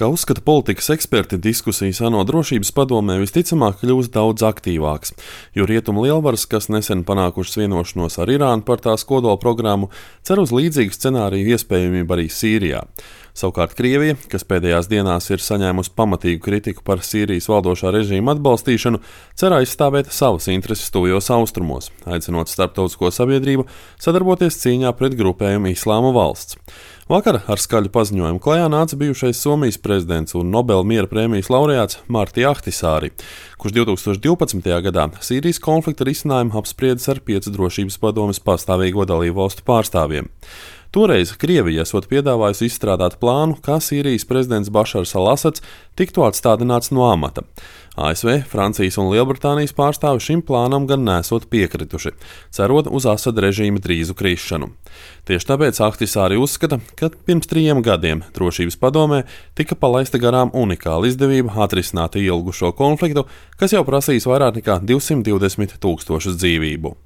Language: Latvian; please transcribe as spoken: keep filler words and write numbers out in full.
Kā uzskata politikas eksperti, diskusijas ANO drošības padomē visticamāk kļūs daudz aktīvāks, jo rietumu lielvaras, kas nesen panākušas vienošanos ar Irānu par tās kodola programmu, cer uz līdzīgu scenāriju iespējamību arī Sīrijā. Savukārt Krievija, kas pēdējās dienās ir saņēmusi pamatīgu kritiku par Sīrijas valdošā režīma atbalstīšanu, cer aizstāvēt savas intereses tuvajos austrumos, aicinot starptautisko sabiedrību sadarboties cīņā pret grupējumu Islāma valsts. Vakar ar skaļu paziņojumu klajā nāca bijušais Somijas prezidents un Nobela miera prēmijas laureāts Marti Ahtisāri, kurš divs tūkstoš divpadsmitajā gadā Sīrijas konflikta risinājumu apspriedis ar piecu drošības padomes pastāvīgo dalību valstu pārstāvjiem. Toreiz Krievija esot piedāvājusi izstrādāt plānu, kā Sīrijas prezidents Bašars al-Asads tiktu atstādināts no amata. A S V, Francijas un Lielbritānijas pārstāvi šim plānam gan nesot piekrituši, cerot uz Asada režīma drīzu krišanu. Tieši tāpēc Ahtisāri uzskata, ka pirms trījiem gadiem drošības padomē tika palaista garām unikāla izdevība atrisināt ilgušo konfliktu, kas jau prasīs vairāk nekā divsimt divdesmit tūkstošus dzīvību.